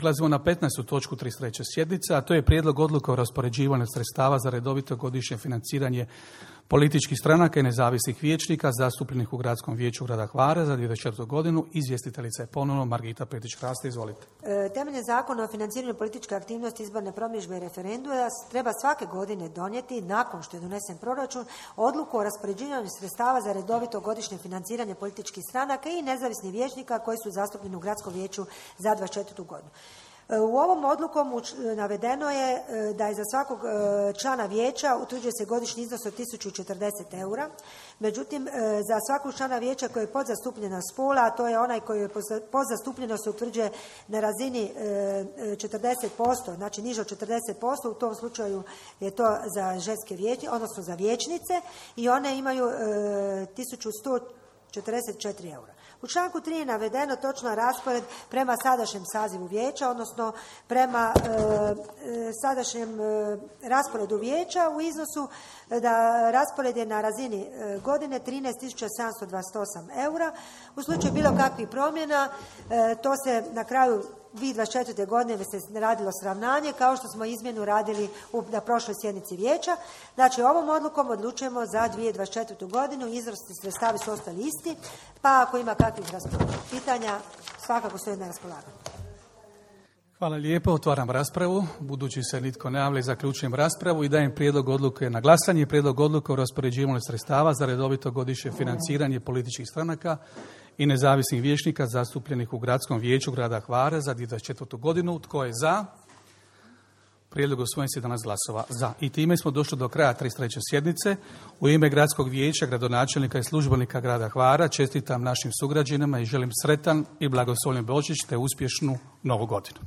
Prelazimo na 15. točku 33. sjednice, a to je prijedlog odluke o raspoređivanju sredstava za redovito godišnje financiranje političkih stranaka i nezavisnih vijećnika zastupljenih u Gradskom vijeću grada Hvara za 2024. godinu. Izvjestiteljica je ponovno Margita Petrić-Hraste. Izvolite. Temeljem Zakona o financiranju političke aktivnosti, izborne promidžbe i referenduma treba svake godine donijeti, nakon što je donesen proračun, odluku o raspoređivanju sredstava za redovito godišnje financiranje političkih stranaka i nezavisnih vijećnika koji su zastupljeni u Gradskom vijeću za 2024. godinu. U ovom odlukom navedeno je da je za svakog člana vijeća utvrđuje se godišnji iznos od 1040 eura. Međutim, za svakog člana vijeća koji je podzastupljena spola, a to je onaj koji je podzastupljenost se utvrđuje na razini 40%, znači niže od 40%, u tom slučaju je to za ženske vijeće, odnosno za vijećnice, i one imaju 1144 eura. U članku 3 je navedeno točno raspored prema sadašnjem sazivu vijeća, odnosno prema sadašnjem rasporedu vijeća u iznosu da raspored je na razini godine 13.728 eura. U slučaju bilo kakvih promjena, to se na kraju 2024. godine se radilo sravnanje, kao što smo izmjenu radili na prošloj sjednici vijeća. Znači, ovom odlukom odlučujemo za 2024. godinu, iznosi sredstava su ostali isti, pa ako ima kakvih pitanja, svakako stoje na raspolaganju. Hvala lijepo, otvaram raspravu. Budući se nitko ne javlja, zaključujem raspravu i dajem prijedlog odluke na glasanje. Prijedlog odluke o raspoređivanju sredstava za redovito godišnje financiranje političkih stranaka i nezavisnih vijećnika zastupljenih u Gradskom vijeću grada Hvara za 2024. godinu. Tko je za? Prijedlog usvojen s 11 glasova za. I time smo došli do kraja 33. sjednice. U ime Gradskog vijeća, gradonačelnika i službenika grada Hvara čestitam našim sugrađanima i želim sretan i blagoslovljen Božić te uspješnu Novu godinu.